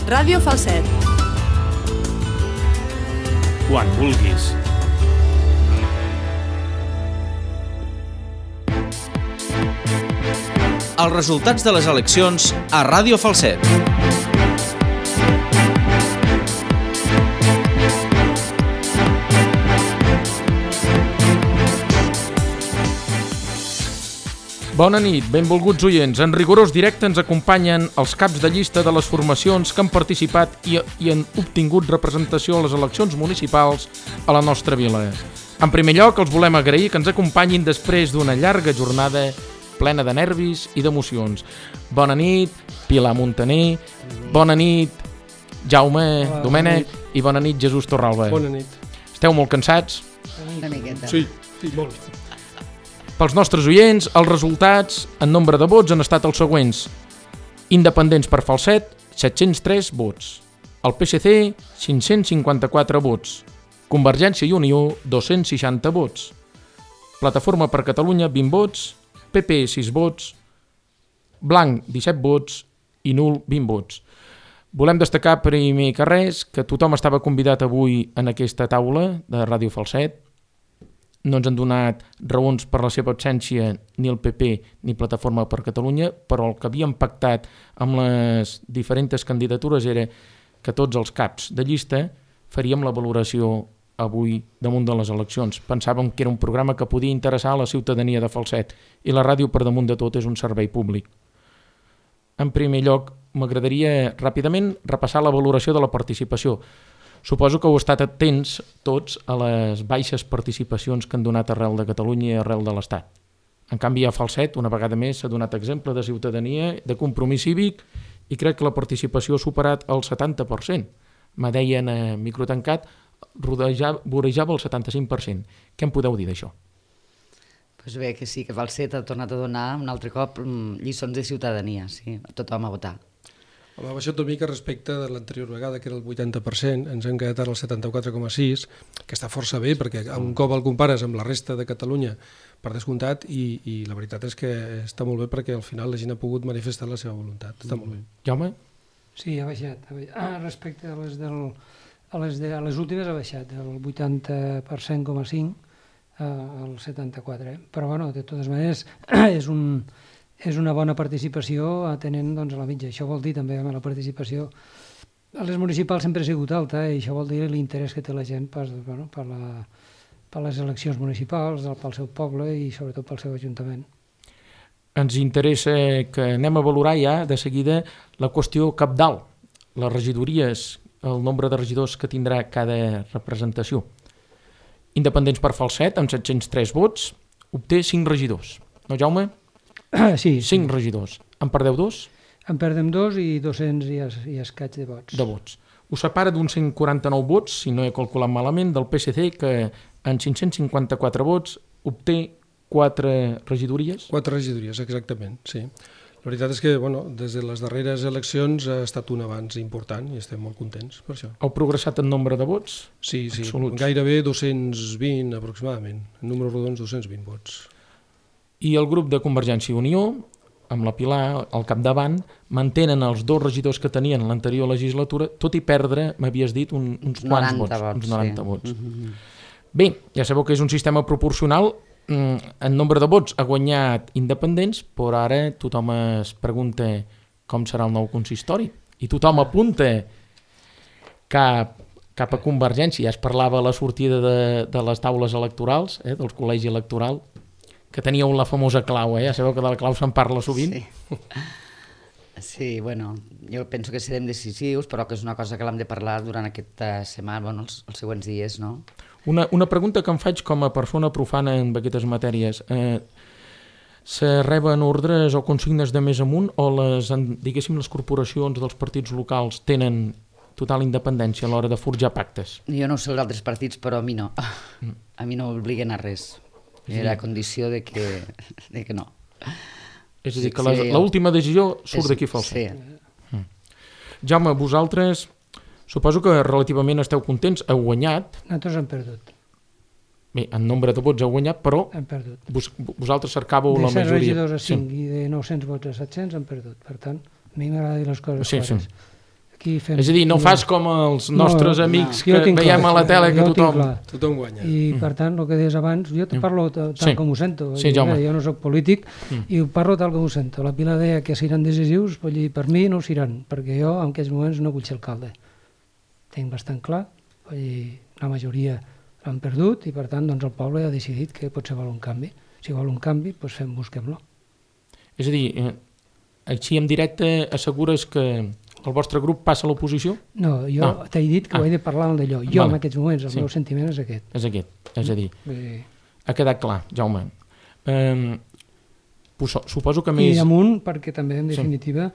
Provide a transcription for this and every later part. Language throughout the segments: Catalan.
Ràdio Falset. Quan vulguis. Els resultats de les eleccions a Ràdio Falset. Bona nit, benvolguts oients. En rigorós directe ens acompanyen els caps de llista de les formacions que han participat i han obtingut representació a les eleccions municipals a la nostra vila. En primer lloc, els volem agrair que ens acompanyin després d'una llarga jornada plena de nervis i d'emocions. Bona nit, Pilar Montaner. Bona nit, Jaume Domènech. I bona nit, Jesús Torralba. Bona nit. Esteu molt cansats? Una miqueta. Sí, molt. Pels nostres oients, els resultats en nombre de vots han estat els següents. Independents per Falset, 703 vots. El PSC, 554 vots. Convergència i Unió, 260 vots. Plataforma per Catalunya, 20 vots. PP, 6 vots. Blanc, 17 vots. I nul, 20 vots. Volem destacar primer que res que tothom estava convidat avui en aquesta taula de Ràdio Falset. No ens han donat raons per la seva absència ni el PP ni Plataforma per Catalunya, però el que havíem pactat amb les diferents candidatures era que tots els caps de llista faríem la valoració avui damunt de les eleccions. Pensàvem que era un programa que podia interessar a la ciutadania de Falset i la ràdio per damunt de tot és un servei públic. En primer lloc, m'agradaria ràpidament repassar la valoració de la participació. Suposo que heu estat atents tots a les baixes participacions que han donat arrel de Catalunya i arrel de l'Estat. En canvi, a Falset, una vegada més, s'ha donat exemple de ciutadania, de compromís cívic, i crec que la participació ha superat el 70%. Me deien a microtancat, vorejava el 75%. Què em podeu dir d'això? Doncs bé, que sí, que Falset ha tornat a donar un altre cop lliçons de ciutadania, sí, tothom a votar. Home, ha baixat una mica respecte de l'anterior vegada, que era el 80%, ens hem quedat ara al 74,6%, que està força bé, perquè un cop el compares amb la resta de Catalunya, per descomptat, i la veritat és que està molt bé perquè al final la gent ha pogut manifestar la seva voluntat. Està molt bé. Jaume? Sí, ha baixat. Respecte a les últimes ha baixat, del 80,5% al 74%. Però, bueno, de totes maneres, és una bona participació atenent doncs, a la mitja. Això vol dir també que la participació a les municipals sempre ha sigut alta i això vol dir l'interès que té la gent per les eleccions municipals, pel seu poble i sobretot pel seu ajuntament. Ens interessa que anem a valorar ja de seguida la qüestió cabdal, les regidories, el nombre de regidors que tindrà cada representació. Independents per Falset, amb 703 vots, obté 5 regidors. No, Jaume? Sí. 5 regidors. En perdeu 2? En perdem 2 i 200 i escaig de vots. De vots. Us separa d'uns 149 vots, si no he calculat malament, del PSC, que en 554 vots obté 4 regidories. 4 regidories, exactament, sí. La veritat és que, des de les darreres eleccions ha estat un avanç important i estem molt contents per això. Heu progressat en nombre de vots? Sí, absoluts. Gairebé 220 aproximadament, en números rodons 220 vots. I el grup de Convergència i Unió, amb la Pilar al capdavant, mantenen els 2 regidors que tenien en l'anterior legislatura, tot i perdre, m'havies dit, uns quants vots. Uns 90 vots. Bé, ja sabeu que és un sistema proporcional. En nombre de vots ha guanyat Independents, però ara tothom es pregunta com serà el nou consistori. I tothom apunta cap a Convergència. Ja es parlava a la sortida de les taules electorals, del col·legi electoral, que teníeu la famosa clau, ja sabeu que de la clau se'n parla sovint. Sí, bueno, jo penso que serem decisius, però que és una cosa que l'hem de parlar durant aquesta setmana, els següents dies, no? Una pregunta que em faig com a persona profana en aquestes matèries. Se reben ordres o consignes de més amunt o les corporacions dels partits locals tenen total independència a l'hora de forjar pactes? Jo no ho sé els altres partits, però a mi no. A mi no m'obliguen a res. Era condició de que no. És a dir, que l'última decisió surt d'aquí Falset. Sí. Jaume, vosaltres suposo que relativament esteu contents, heu guanyat. Nosaltres hem perdut. Bé, en nombre de vots heu guanyat, però hem perdut. Vosaltres cercàveu la majoria. De 7 regidors a 5 i de 900 vots a 700 hem perdut. Per tant, a mi m'agrada dir les coses clares. Aquí fem... És a dir, no fas com els nostres amics que veiem a la tele que tothom guanya. I per tant, el que deies abans, jo te parlo tal com ho sento. Sí, Jaume. Jo no soc polític i ho parlo tal com ho sento. La Pilar deia que seran decisius, per mi no ho seran, perquè jo en aquests moments no vull ser alcalde. Tinc bastant clar, la majoria l'han perdut i per tant doncs, el poble ha decidit que potser vol un canvi. Si vol un canvi, doncs busquem-lo. És a dir, així en directe assegures que el vostre grup passa a l'oposició? No, jo t'he dit que ho he de parlar d'allò. Jo en aquests moments, el meu sentiment és aquest. És aquest, és a dir, ha quedat clar, Jaume. Suposo que més... I amunt, perquè també, en definitiva,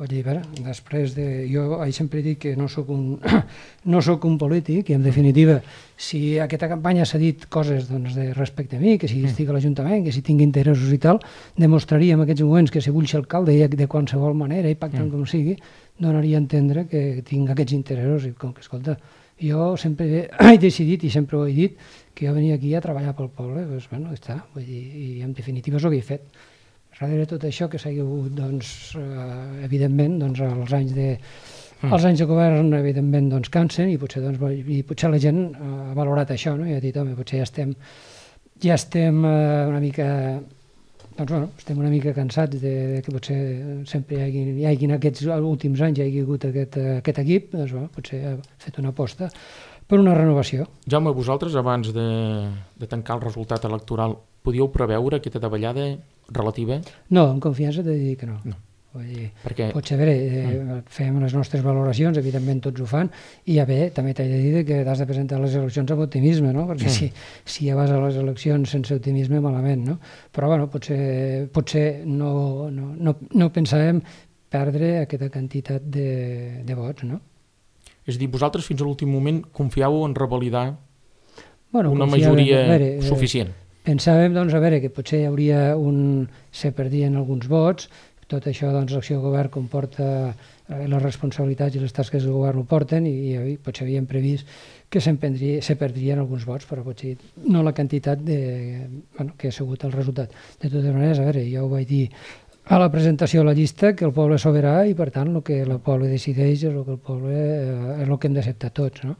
després de... Jo sempre dic que no sóc un polític i, en definitiva, si aquesta campanya s'ha dit coses respecte a mi, que si estic a l'Ajuntament, que si tinc interessos i tal, demostraria en aquests moments que si vull ser alcalde de qualsevol manera i pactant com sigui, donaria a entendre que tinc aquests interessos i com que, escolta, jo sempre he decidit i sempre ho he dit que jo venia aquí a treballar pel poble, doncs, bueno, està, vull dir, i en definitiva és el que he fet. Darrere tot això que s'ha hagut, doncs, evidentment, doncs, els anys de govern, evidentment, doncs, cansen i potser la gent ha valorat això, no? I ha dit, home, potser ja estem una mica... Doncs, bueno, estem una mica cansats de que potser sempre hi hagi en aquests últims anys hi hagi hagut aquest equip, doncs, bueno, potser ha fet una aposta per una renovació. Jaume, vosaltres, abans de tancar el resultat electoral, podíeu preveure aquesta davallada relativa? No, amb confiança t'he de dir que no. Perquè... Potser, fem les nostres valoracions, evidentment tots ho fan, i també t'he de dir que has de presentar les eleccions amb optimisme, no? Perquè si ja vas a les eleccions sense optimisme, malament, no? Però, bueno, potser no pensàvem perdre aquesta quantitat de vots, no? És a dir, vosaltres fins a l'últim moment confiàveu en revalidar una majoria suficient? Pensàvem, doncs, que potser hi hauria se perdien alguns vots. Tot això, doncs, l'acció de govern comporta les responsabilitats i les tasques del govern ho porten i potser havíem previst que se perdrien alguns vots, però potser no la quantitat que ha sigut el resultat. De totes maneres, jo ho vaig dir a la presentació de la llista, que el poble és sobirà i, per tant, el que el poble decideix és el que el poble és el que hem d'acceptar tots, no?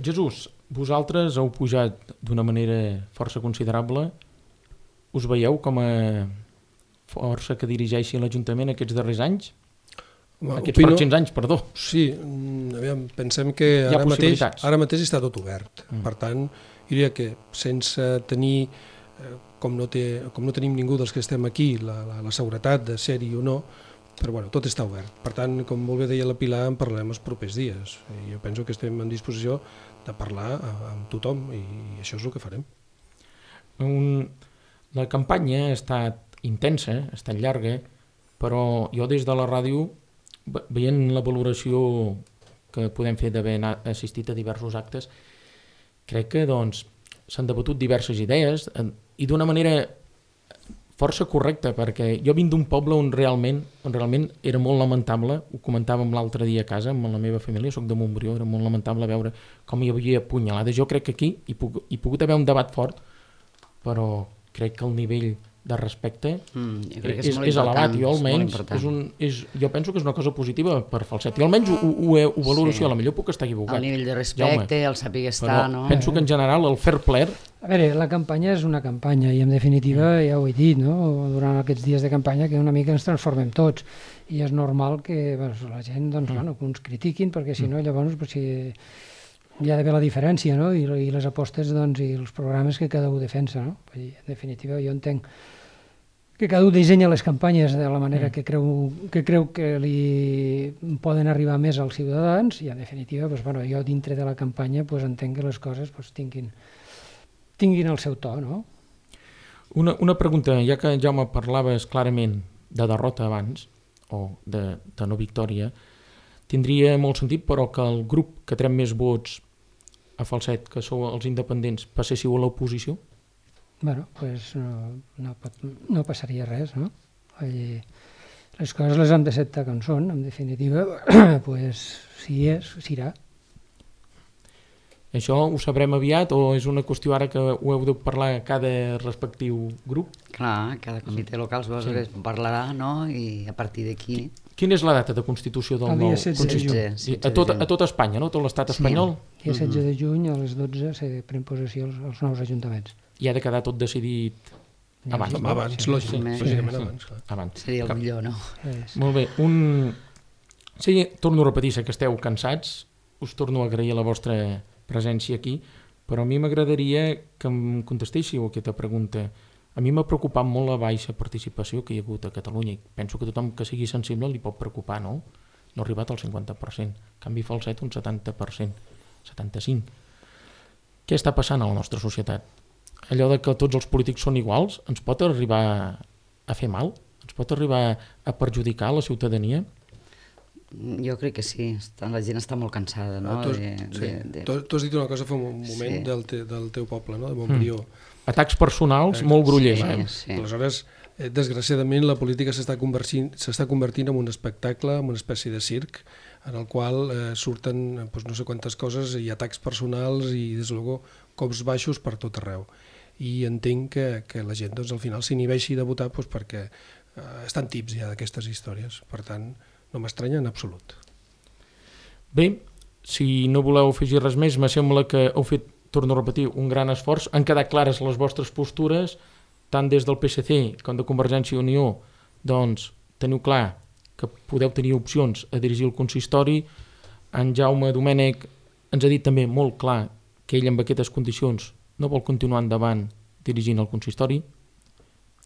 Jesús, vosaltres heu pujat d'una manera força considerable. Us veieu com a força que dirigeixi l'Ajuntament aquests darrers anys? Aquests pròxims anys, perdó. Sí, pensem que ara mateix està tot obert. Per tant, diria que sense tenir, com no tenim ningú dels que estem aquí, la seguretat de ser-hi o no, però bueno, tot està obert. Per tant, com molt bé deia la Pilar, en parlarem els propers dies. Jo penso que estem en disposició de parlar amb tothom i això és el que farem. La campanya ha estat intensa, ha estat llarga, però jo des de la ràdio, veient la valoració que podem fer d'haver assistit a diversos actes, crec que s'han debatut diverses idees i d'una manera força correcta, perquè jo vinc d'un poble on realment era molt lamentable, ho comentàvem l'altre dia a casa amb la meva família, soc de Montbrió, era molt lamentable veure com hi havia punyalades. Jo crec que aquí hi ha pogut haver un debat fort, però crec que el nivell de respecte és elevat. Jo almenys jo penso que és una cosa positiva per Falset. Jo almenys ho valoro així, a la millor puc estar equivocat. El nivell de respecte, el saber estar, no? Penso que en general el fair play... La campanya és una campanya i en definitiva ja ho he dit, no? Durant aquests dies de campanya que una mica ens transformem tots i és normal que la gent que ens critiquin perquè si no llavors hi ha d'haver la diferència, no? I les apostes i els programes que cada un defensa, no? En definitiva jo entenc que cada un dissenya les campanyes de la manera que creu que li poden arribar més als ciutadans i en definitiva jo dintre de la campanya entenc que les coses tinguin el seu to, no? Una pregunta, ja que Jaume parlaves clarament de derrota abans o de no victòria, tindria molt sentit però que el grup que trem més vots a Falset, que sou els independents, passéssiu a l'oposició? Bueno, doncs no passaria res, no? Les coses les hem d'acceptar com són, en definitiva, doncs si és, serà. Això ho sabrem aviat o és una qüestió ara que ho heu de parlar a cada respectiu grup? Clar, cada comitè local parlarà, no? I a partir d'aquí... Quina és la data de constitució del El nou dia 16 de juny. consistori? A tot Espanya, no? Tot l'estat espanyol? Dia 16 de juny a les 12 se pren possessió els nous ajuntaments. I ha de quedar tot decidit abans. Abans, lògicament abans. Abans. Seria el millor, no? Molt bé. Sí, torno a repetir, sé que esteu cansats, us torno a agrair la vostra presència aquí, però a mi m'agradaria que em contestéssiu aquesta pregunta. A mi m'ha preocupat molt la baixa participació que hi ha hagut a Catalunya i penso que tothom que sigui sensible li pot preocupar, no? No ha arribat al 50%, en canvi Falset un 70%, 75%. Què està passant a la nostra societat? Allò de que tots els polítics són iguals ens pot arribar a fer mal? Ens pot arribar a perjudicar la ciutadania? Jo crec que sí, la gent està molt cansada, no? Tu has dit una cosa fa un moment del teu poble, no? De Montbrió. Atacs personals molt grollers. Sí. Aleshores, desgraciadament, la política s'està convertint en un espectacle, en una espècie de circ, en el qual surten no sé quantes coses i atacs personals i, des de luego, cops baixos per tot arreu. I entenc que la gent al final s'inhibeixi de votar perquè estan tips ja d'aquestes històries. Per tant, no m'estranya en absolut. Bé, si no voleu afegir res més, me sembla que heu fet, torno a repetir, un gran esforç. Han quedat clares les vostres postures, tant des del PSC com de Convergència i Unió, doncs teniu clar que podeu tenir opcions a dirigir el consistori. En Jaume Domènech ens ha dit també molt clar que ell amb aquestes condicions no vol continuar endavant dirigint el consistori.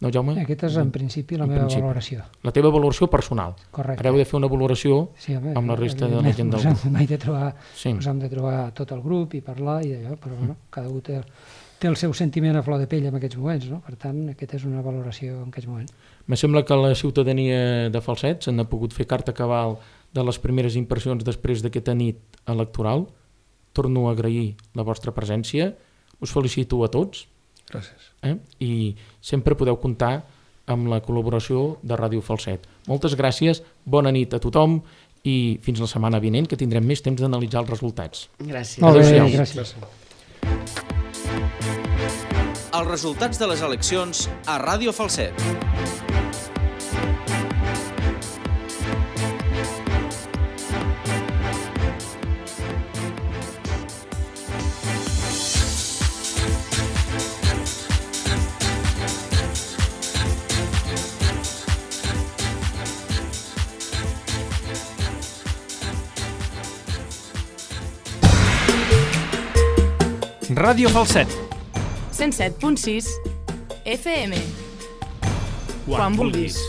No, Jaume? Aquesta és en principi la meva valoració. La teva valoració personal. Correcte. Ara heu de fer una valoració amb la resta de la gent del grup. Ens hem de trobar tot el grup i parlar i allò, però bueno, cada un té el seu sentiment a flor de pell en aquests moments, no? Per tant, aquesta és una valoració en aquests moments. Me sembla que la ciutadania de Falset s'han pogut fer carta cabal de les primeres impressions després d'aquesta nit electoral. Torno a agrair la vostra presència. Us felicito a tots. Gràcies. I sempre podeu comptar amb la col·laboració de Ràdio Falset. Moltes gràcies, bona nit a tothom i fins la setmana vinent, que tindrem més temps d'analitzar els resultats. Gràcies. Molt bé, gràcies. Els resultats de les eleccions a Ràdio Falset. Ràdio Falset. 107.6 FM. Quan vulguis.